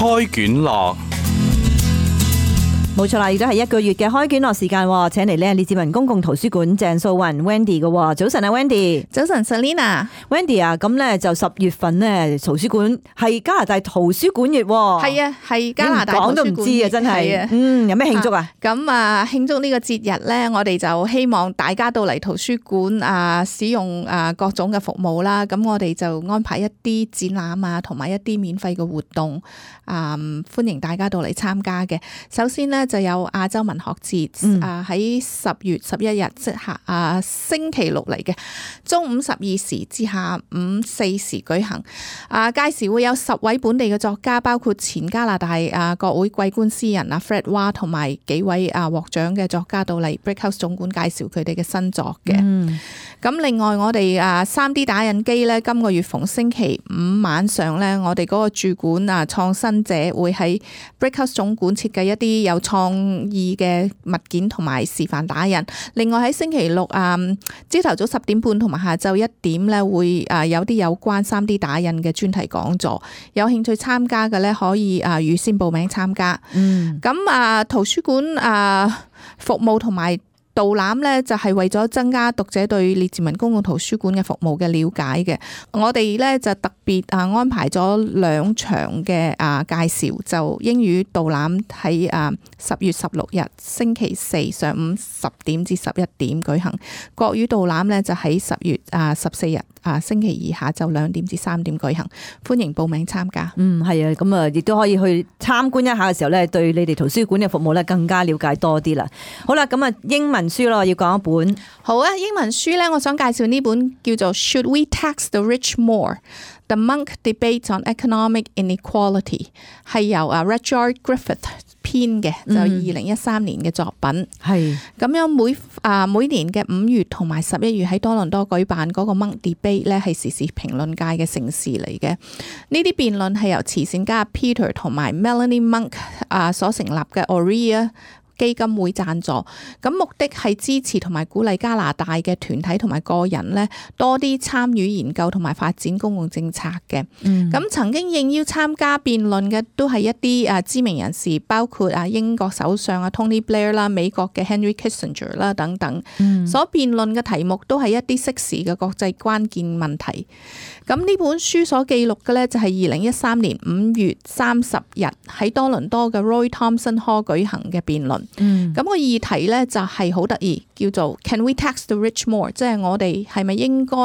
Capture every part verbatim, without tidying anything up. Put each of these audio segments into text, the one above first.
開卷樂。冇錯啦，而家係一個月嘅開卷樂時間，請嚟咧列治文公共圖書館鄭素雲 Wendy 嘅。早晨啊 Wendy， 早晨 Selina。Wendy 啊，咁咧就十月份咧圖書館係加拿大圖書館月，係啊，係加拿大圖書館，講都唔知啊，真係。嗯，有咩慶祝啊？咁啊，慶祝呢個節日咧，我哋就希望大家到嚟圖書館啊，使用啊各種嘅服務啦。咁我哋就安排一啲展覽啊，同埋一啲免費嘅活動啊，歡迎大家到嚟參加嘅。首先咧，就有亞洲文學節、嗯、啊，喺十月十一日即係啊星期六嚟嘅，中午十二時至下午四時舉行。啊，屆時會有十位本地嘅作家，包括前加拿大啊國會桂冠詩人啊 Fred Wah 同埋幾位啊獲獎嘅作家到嚟 Brickhouse 總館介紹佢哋嘅新作嘅。咁、嗯、另外我哋啊 三 D 打印機咧，今個月逢星期五晚上咧，我哋嗰個駐館啊創新者會喺 Brickhouse 總館設計一啲有創意嘅物件同埋示範打印。另外喺星期六啊，朝頭早十點半同埋下晝一點咧，會啊有啲有關三 D 打印嘅專題講座。有興趣參加嘅咧，可以啊預先報名參加。嗯，咁啊圖書館啊服務同埋導覽咧，就係為咗增加讀者對列治文公共圖書館嘅服務嘅了解嘅。我哋咧就特別啊安排咗兩場嘅啊介紹，就英語導覽喺啊十月十六日星期四上午十點至十一點舉行，國語導覽咧就喺十月啊十四日啊星期二下晝兩點至三點舉行，歡迎報名參加。嗯，係啊，咁啊亦都可以去參觀一下嘅時候咧，對你哋圖書館嘅服務咧更加了解多啲啦。好啦，咁啊英文書咯，要講一本。好啊，英文書咧，我想介紹呢本叫做 Should We Tax the Rich More? The Munk Debate on Economic Inequality， 係由啊 Rudyard Griffith 編嘅，就二零一三年嘅作品。係咁樣每啊每年嘅五月同埋十一月喺多倫多舉辦嗰個 Munk Debate 咧，係時事評論界嘅盛事嚟嘅。呢啲辯論係由慈善家 Peter 同埋 Melanie Munk 啊所成立嘅 Aurea基金會贊助，咁目的係支持同埋鼓勵加拿大嘅團體同埋個人咧，多啲參與研究同埋發展公共政策嘅。咁、嗯、曾經應邀參加辯論嘅都係一啲啊知名人士，包括啊英國首相啊 Tony Blair 啦、美國嘅 Henry Kissinger 啦等等。嗯、所辯論嘅題目都係一啲適時嘅國際關鍵問題。咁呢本書所記錄嘅咧就係二零一三年五月三十日喺多倫多嘅 Roy Thomson Hall 舉行嘅辯論。嗯，咁個議題咧就係好得意，叫做 Can we tax the rich more？ 即係我哋係咪應該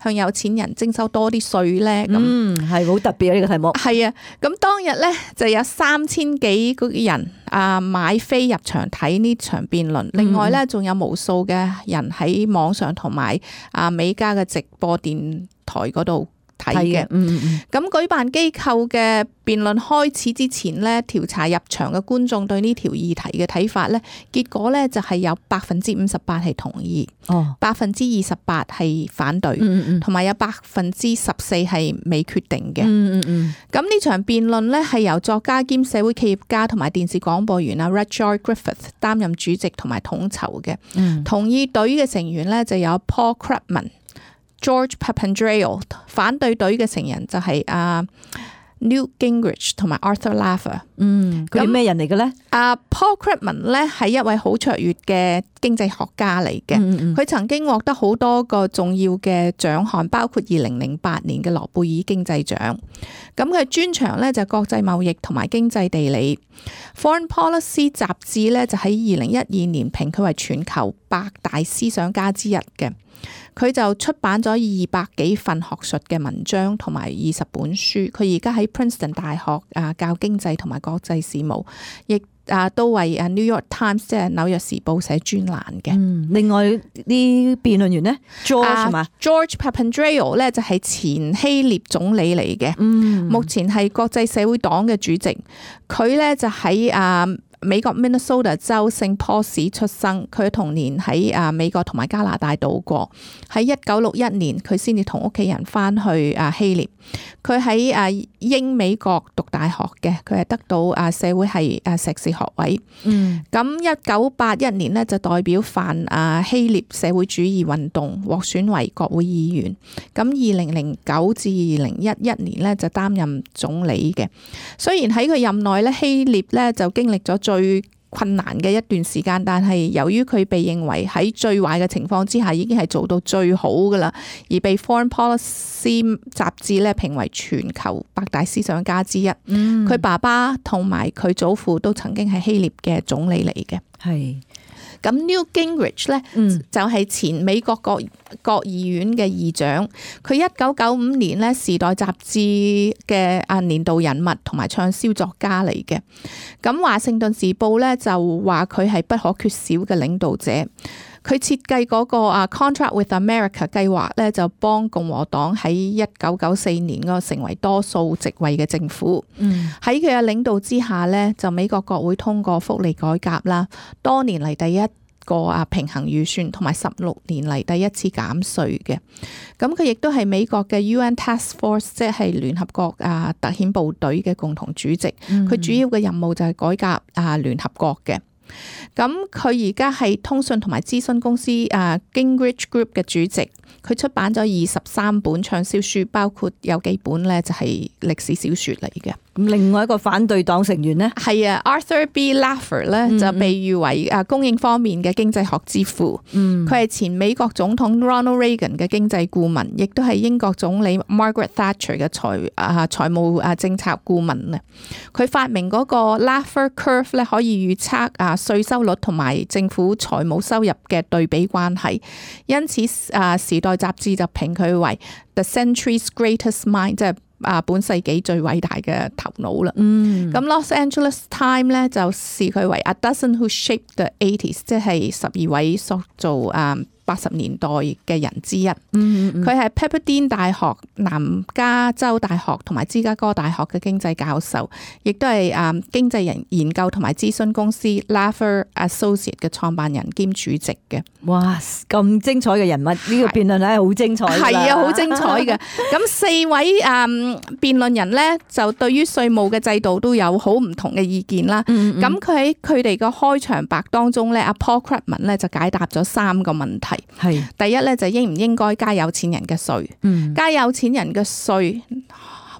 向有錢人徵收多啲稅咧？咁嗯，係好特別啊！呢個題目係啊，咁當日咧就有三千幾個人啊買飛入場睇呢場辯論，另外咧仲有無數嘅人喺網上同埋啊美加嘅直播電台嗰度睇嘅。嗯嗯，咁舉辦機構嘅辯論開始之前咧，調查入場嘅觀眾對呢條議題嘅睇法咧，結果咧就係有百分之五十八係同意，哦，百分之二十八係反對，同埋有百分之十四係未決定嘅。嗯嗯嗯。咁呢場辯論咧係由作家兼社會企業家同埋電視廣播員啊 Rudyard Griffith 擔任主席同埋統籌嘅。嗯。同意隊嘅成員咧就有 Paul Krugman、George Papandreou， 反對隊嘅成員就係啊 Newt Gingrich 同埋 Arthur Laffer。嗯，佢係咩人嚟嘅咧？啊 Paul Krugman 咧係一位好卓越嘅經濟學家嚟嘅。佢、嗯嗯、曾經獲得好多個重要嘅獎項，包括二零零八年嘅諾貝爾經濟獎。咁佢專長咧就係國際貿易同埋經濟地理。Foreign Policy 雜誌咧就喺二零一二年評佢為全球百大思想家之一嘅。佢就出版咗二百幾份學術嘅文章同埋二十本書。佢而家喺 Princeton 大學啊教經濟同埋國際事務，亦啊都為啊 New York Times 即係紐約時報寫專欄嘅。嗯，另外啲辯論員呢 George 嘛、啊、George Papandreou 咧就係前希臘總理嚟嘅。嗯，目前係國際社會黨嘅主席。佢咧就喺啊美國 Minnesota 州聖坡市出生，佢童年喺啊美國同埋加拿大度過。喺一九六一年，佢先至同屋企人翻去啊希臘。佢喺啊英美國讀大學嘅，佢係得到啊社會系啊碩士學位。嗯，咁一九八一年呢，就代表泛啊希臘社會主義運動獲選為國會議員。咁二零零九至二零一一年呢，就擔任總理嘅。雖然喺佢任內咧，希臘咧就經歷咗最困難嘅一段時間，但係由於佢被認為喺最壞嘅情況之下已經係做到最好噶啦，而被 Foreign Policy 雜誌咧評為全球百大思想家之一。佢、嗯、爸爸同埋佢祖父都曾經係希臘嘅總理嚟嘅。係。咁 Newt Gingrich 咧，嗯、就係前美國國國議院嘅議長。佢一九九五年咧《時代》雜誌嘅啊年度人物同埋暢銷作家嚟嘅。咁華盛頓時報咧就話佢係不可缺少嘅領導者。佢設計嗰個啊 Contract with America 計劃咧，就幫共和黨喺一九九四年嗰個成為多數席位嘅政府。喺佢嘅領導之下咧，就美國國會通過福利改革啦，多年嚟第一個啊平衡預算，同埋十六年嚟第一次減稅嘅。咁佢亦都係美國嘅 U N Task Force， 即係聯合國啊特遣部隊嘅共同主席。佢、嗯、主要嘅任務就係改革啊聯合國嘅。咁佢而家係通訊同埋諮詢公司啊 Gingrich Group 嘅主席，佢出版咗二十三本暢銷書，包括有幾本咧就係歷史小說嚟嘅。咁另外一個反對黨成員呢，係啊 Arthur B. Laffer 咧就被譽為啊供應方面嘅經濟學之父。佢係前美國總統 Ronald Reagan 嘅經濟顧問，亦都係英國總理 Margaret Thatcher 嘅財啊財務啊政策顧問啊。佢發明嗰個 Laffer Curve 咧，可以預測啊稅收率同埋政府財務收入嘅對比關係，因此啊時代雜誌就評佢為 The Century's Greatest Mind， 即係啊本世紀最偉大嘅頭腦啦。嗯，咁 Los Angeles Times 咧就視佢為 A Dozen Who Shaped the eighties， 即係十二位塑造啊八十年代嘅人之一。佢係 Pepperdine 大學、南加州大學同埋芝加哥大學嘅經濟教授，亦都係啊經濟人研究同埋諮詢公司 Laffer Associates 嘅創辦人兼主席嘅。哇，咁精彩嘅人物，呢、這個辯論係好精彩嘅。係啊，好精彩嘅。咁四位啊辯論人咧，就對於稅務嘅制度都有好唔同嘅意見啦。咁佢喺佢哋嘅開場白當中咧，阿 Paul Krugman 咧就解答咗三個問題。係第一咧，就應唔應該加有錢人嘅稅？嗯，加有錢人嘅稅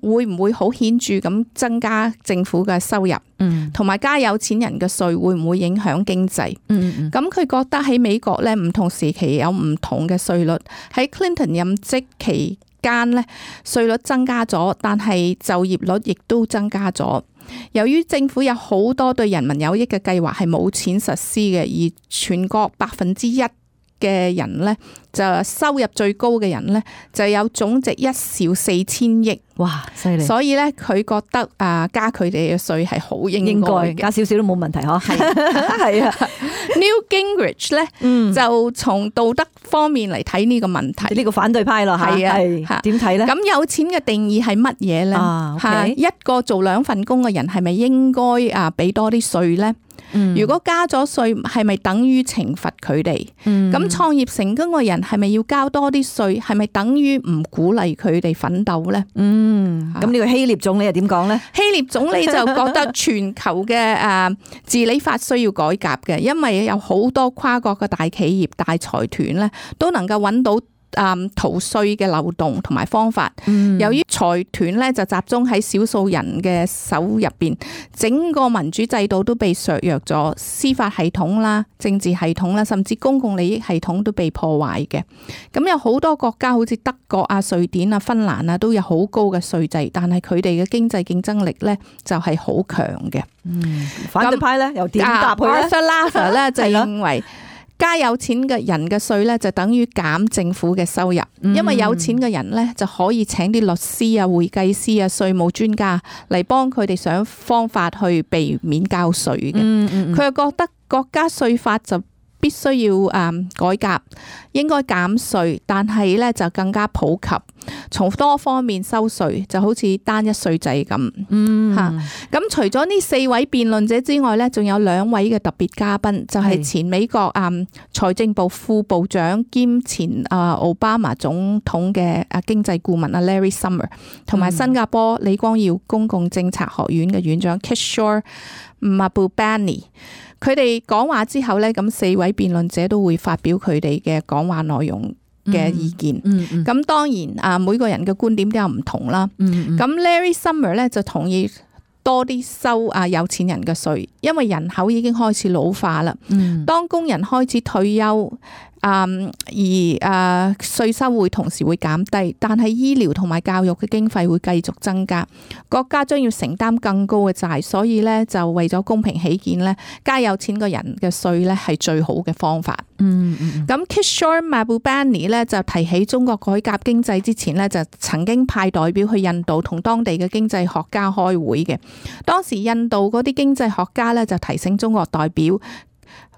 會唔會好顯著咁增加政府嘅收入？嗯，同埋加有錢人嘅稅會唔會影響經濟？嗯嗯，咁佢覺得喺美國咧，唔同時期有唔同嘅稅率。喺 Clinton 任職期間咧，稅率增加咗，但係就業率亦都增加咗。由於政府有好多對人民有益嘅計劃係冇錢實施嘅，而全國百分之一嘅人咧，就收入最高嘅人咧，就有總值一兆四千億。哇，犀利！所以咧，佢覺得啊，加佢哋嘅稅係好應該嘅，加少少都冇問題嗬。係係啊，Newt Gingrich 咧，嗯、就從道德方面嚟睇呢個問題。呢個反對派咯，係啊，點睇咧？咁有錢嘅定義係乜嘢咧？啊 okay、一個做兩份工嘅人係咪應該啊俾多啲稅咧？嗯、如果加咗稅，係咪等於懲罰佢哋？咁創、嗯、業成功嘅人係咪要交多啲稅？係咪等於唔鼓勵佢哋奮鬥咧？嗯，咁呢個希臘總理又點講咧？希臘總理就覺得全球嘅誒治理法需要改革嘅，因為有好多跨國嘅大企業、大財團咧，都能夠揾到誒逃稅嘅漏洞同埋方法。嗯、由於財團咧就集中喺少數人嘅手入邊，整個民主制度都被削弱咗，司法系統啦、政治系統啦，甚至公共利益系統都被破壞嘅。咁有好多國家好似德國啊、瑞典啊、芬蘭啊，都有好高嘅稅制，但係佢哋嘅經濟競爭力咧就係好強嘅。嗯，反對派咧又點答佢咧？ Arthur Laffer 咧就認為，加有錢嘅人嘅稅咧，就等於減政府嘅收入，因為有錢嘅人咧就可以請啲律師啊、會計師啊、稅務專家嚟幫佢哋想方法去避免交稅嘅。佢又覺得國家稅法就必須要誒、嗯、改革，應該減稅，但係咧就更加普及，從多方面收稅，就好似單一稅制咁。嗯，嚇、咁除咗呢四位辯論者之外咧，仲有兩位嘅特別嘉賓，就係、是、前美國誒財政部副部長兼前誒奧巴馬總統嘅誒經濟顧問阿 Larry Summer， 同埋新加坡李光耀公共政策學院嘅院長 Kishore Mahbubani。佢哋講話之後咧，咁四位辯論者都會發表佢哋嘅講話內容嘅意見。咁、嗯嗯嗯、當然啊，每個人嘅觀點都有唔同啦。咁、嗯嗯、Larry Summer 咧就同意多啲收啊有錢人嘅稅，因為人口已經開始老化啦。嗯、當工人開始退休。Um, 而誒稅、uh, 收會同時會減低，但係醫療同埋教育嘅經費會繼續增加，國家將要承擔更高嘅債，所以咧就為咗公平起見咧，加有錢嘅人嘅稅咧係最好嘅方法。嗯嗯。咁 Kishore Mahbubani 咧就提起中國改革經濟之前咧，就曾經派代表去印度同當地嘅經濟學家開會嘅，當時印度嗰啲經濟學家咧就提醒中國代表。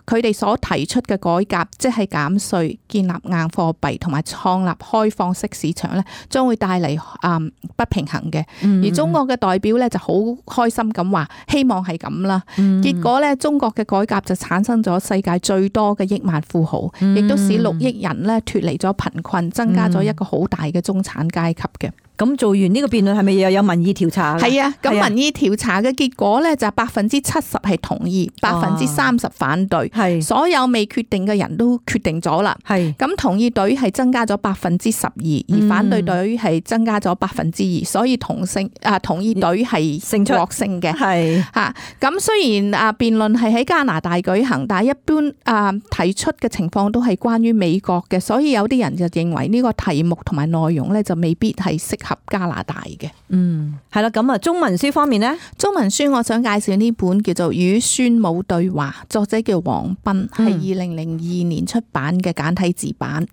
佢哋所提出嘅改革，即係減稅、建立硬貨幣同埋創立開放式市場咧，將會帶嚟誒不平衡嘅。而中國嘅代表咧就好開心咁話，希望係咁啦。結果咧，中國嘅改革就產生咗世界最多嘅億萬富豪，亦都使六億人咧脫離咗貧困，增加咗一個好大嘅中產階級嘅。咁做完呢個辯論係咪又有民意調查？係啊，咁民意調查嘅結果咧就百分之七十係同意，百分之三十反對。係所有未決定嘅人都決定咗啦。係咁同意隊係增加咗百分之十二，而反對隊係增加咗百分之二，所以同性啊同意隊係勝獲勝嘅。係吓咁雖然啊辯論係喺加拿大舉行，但係一般啊提出嘅情況都係關於美國嘅，所以有啲人就認為呢個題目同埋內容咧就未必係適合加拿大嘅。嗯，係啦，咁啊，中文書方面呢？中文書我想介紹呢本叫做《與孫武對話》，作者叫黃斌，係二零零二年出版嘅簡體字版。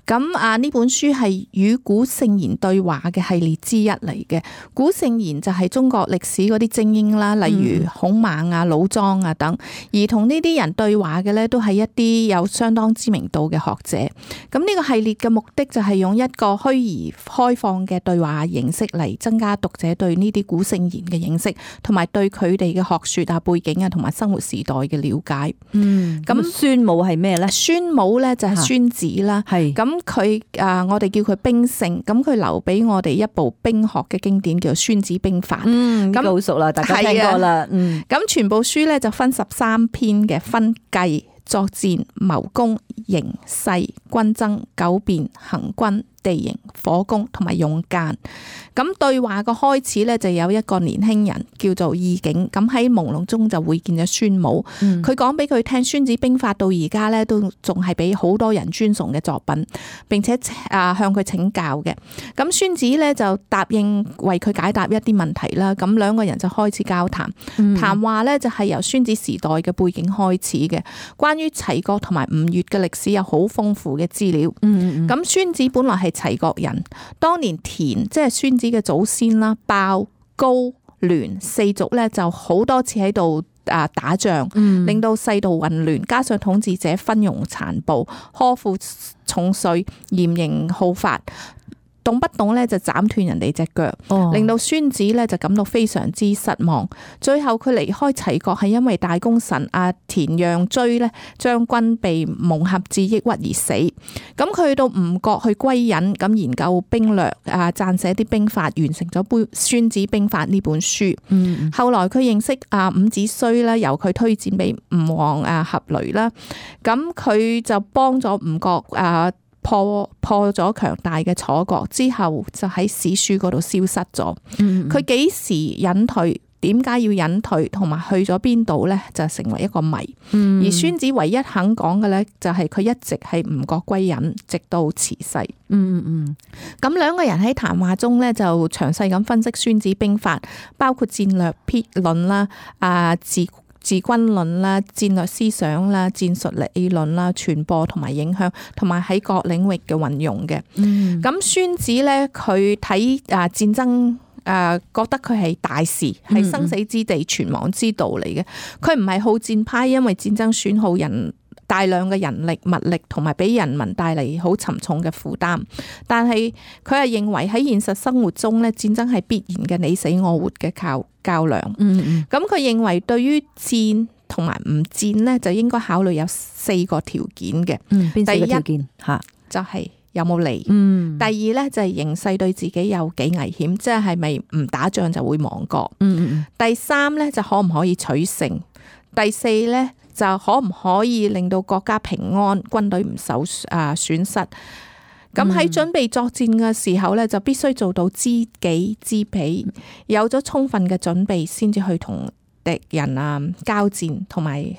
咁啊，呢本書係與古聖賢對話嘅系列之一嚟嘅。古聖賢就係中國歷史嗰啲精英啦，例如孔孟啊、老莊啊等，而同呢啲人對話嘅咧，都係一啲有相當知名度嘅學者。咁呢個系列嘅目的就係用一個虛擬開放嘅對話形式嚟增加讀者對呢啲古聖賢嘅認識，同埋對佢哋嘅學說啊、背景啊同埋生活時代嘅了解。嗯，咁孫武係咩咧？孫武咧就係孫子啦。係咁佢啊，我哋叫佢兵聖。咁佢留俾我哋一部兵學嘅經典叫《孫子兵法》。嗯，咁好熟啦，大家聽過啦。嗯，咁全部書咧就分十三篇嘅，分計、作戰、謀攻、形勢、軍爭、九變、行軍、地形、火攻同埋用間。咁對話個開始咧就有一個年輕人叫做義景，咁喺朦朧中就會見咗孫武。佢講俾佢聽，《孫子兵法》到而家咧都仲係俾好多人尊崇嘅作品，並且啊向佢請教嘅。咁孫子咧就答應為佢解答一啲問題啦。咁兩個人就開始交談，嗯、談話咧就係由孫子時代嘅背景開始嘅。關於齊國同埋吳越嘅歷史有好豐富嘅資料。咁、嗯嗯、孫子本來係齊國人，當年田即係孫子嘅祖先啦，鮑、高、欒四族咧就好多次喺度啊打仗，嗯、令到世道混亂，加上統治者昏庸殘暴，苛賦重稅，嚴刑好法。動不動咧就斬斷人哋隻腳，令到孫子咧就感到非常之失望。最後佢離開齊國係因為大功臣阿田讓追咧將軍被蒙合致抑鬱而死。咁佢去到吳國去歸隱，咁研究兵略啊，撰寫啲兵法，完成咗《本孫子兵法》呢本書。嗯、後來佢認識阿伍子胥啦，由佢推薦俾吳王啊闔閭啦，咁佢就幫咗吳國啊。破破咗強大嘅楚國之後，就喺史書嗰度消失咗。佢幾、嗯、時隱退？點解要隱退？同埋去咗邊度呢？就成為一個謎。嗯、而孫子唯一肯講嘅呢，就係佢一直喺吳國歸隱，直到辭世。嗯嗯嗯。咁兩個人喺談話中呢，就詳細咁分析《孫子兵法》，包括戰略篇論啦、啊自治軍論啦、戰略思想啦、戰術理論啦、傳播同埋影響，同埋喺各領域嘅運用嘅。咁孫、嗯、子咧，佢睇啊戰爭啊，覺得佢係大事，係生死之地、存亡之道嚟嘅。佢唔係好戰派，因為戰爭損耗人大量嘅人力物力，同埋俾人民帶嚟好沉重嘅負擔。但係佢係認為喺現實生活中咧，戰爭係必然嘅你死我活嘅較較量。嗯嗯。咁佢認為對於戰同埋唔戰呢，就應該考慮有四個條件嘅。嗯，邊四個條件？嚇，就係有冇利。嗯。第二呢，就係形勢對自己有幾危險，即係係咪唔打仗就會亡國。嗯嗯。第三呢，就可唔可以取勝？第四呢，就可唔可以令到國家平安，軍隊唔受啊損失？咁喺準備作戰嘅時候呢，就必須做到知己知彼，有咗充分嘅準備，先至去同敵人啊交戰，同埋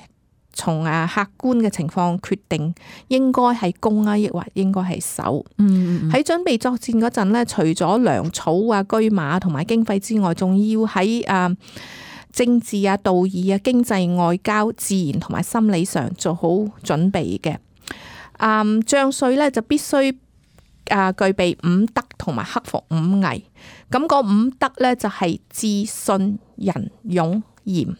從啊客觀嘅情況決定應該係攻啊，抑或應該係守。嗯，喺準備作戰嗰陣呢，除咗糧草啊、車馬同埋經費之外，仲要喺啊政治啊、道義啊、經濟、外交、自然同埋心理上做好準備嘅。啊，將帥呢就必須啊具備五德同埋克服五危。咁嗰五德呢，就係智、信、仁、勇、嚴。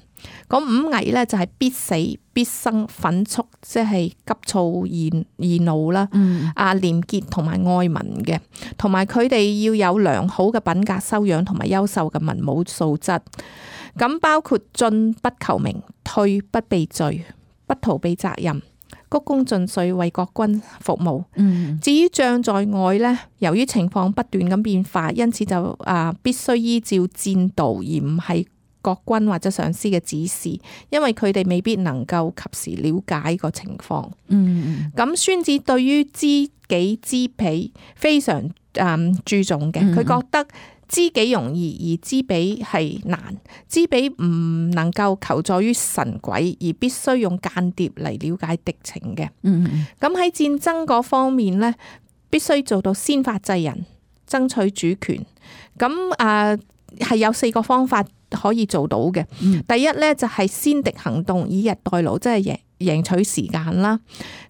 嗰五危呢，就係必死、必生、憤速，即係急躁易易怒啦。啊，廉潔同埋愛民嘅，同埋佢哋要有良好嘅品格修養同埋優秀嘅文武素質。咁包括進不求名，退不避罪，不逃避責任，鞠躬盡瘁為國軍服務。嗯、至於將在外呢，由於情況不斷咁變化，因此就啊必須依照戰道，而唔係國軍或者上司嘅指示，因為佢哋未必能夠及時了解個情況。嗯，咁孫子對於知己知彼非常誒注重嘅，佢覺得知己容易，而知彼係難。知彼唔能夠求助於神鬼，而必須用間諜嚟了解敵情嘅。嗯，咁喺戰爭嗰方面呢，必須做到先發制人，爭取主權。咁啊係有四個方法可以做到嘅。嗯、第一呢，就係先敵行動，以逸待勞，即係贏贏取時間啦。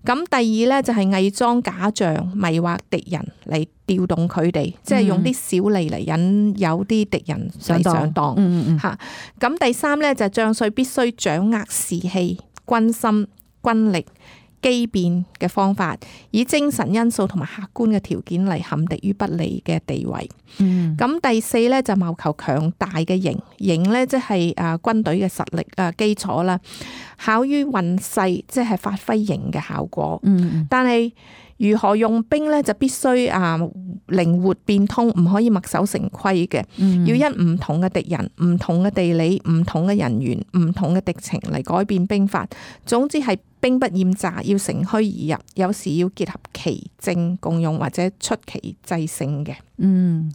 咁第二呢，就係偽裝假象，迷惑敵人嚟調動佢哋，嗯、即係用啲小利嚟引誘啲敵人嚟上當。吓，咁第三呢，就係將帥必須掌握士氣、軍心、軍力、機變嘅方法，以精神因素同埋客觀嘅條件嚟陷敵於不利嘅地位。咁、嗯、第四咧就謀求強大嘅營，營咧即係誒軍隊嘅實力誒基礎啦，考於運勢，即係發揮營嘅效果。嗯、但係如何用兵咧，就必須啊靈活變通，唔可以墨守成規嘅。嗯、要因唔同嘅敵人、唔同嘅地理、唔同嘅人員、唔同嘅敵情嚟改變兵法。總之係兵不厭詐，要乘虛而入，有時要結合奇正共用或者出奇制勝嘅。嗯，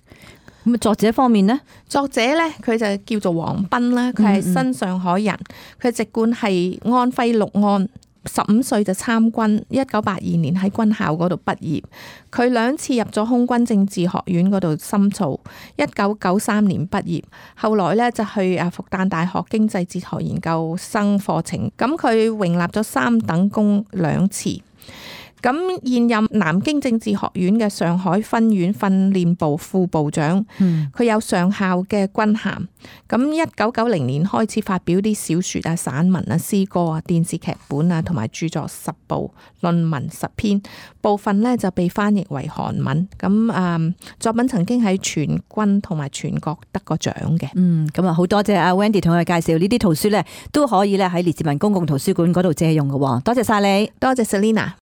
咁啊作者方面呢？作者咧佢就叫做王彬啦，佢係新上海人，佢籍貫係安徽六安。十五歲就參軍，一九八二年喺軍校嗰度畢業。佢兩次入咗空軍政治學院嗰度深造，一九九三年畢業，後來咧就去啊復旦大學經濟哲學研究生課程。咁佢榮立咗三等功兩次。咁現任南京政治學院嘅上海分院訓練部副部長，佢、嗯、有上校嘅軍銜。咁一九九零年開始發表啲小說啊、散文啊、詩歌啊、電視劇本啊，同埋著作十部、論文十篇，部分呢就被翻譯為韓文。咁啊，作品曾經喺全軍同埋全國得過獎嘅。嗯，咁啊，好多謝阿 Wendy 同我哋介紹呢啲圖書呢，都可以咧喺列治文公共圖書館嗰度借用嘅。多謝晒你，多謝 Selina。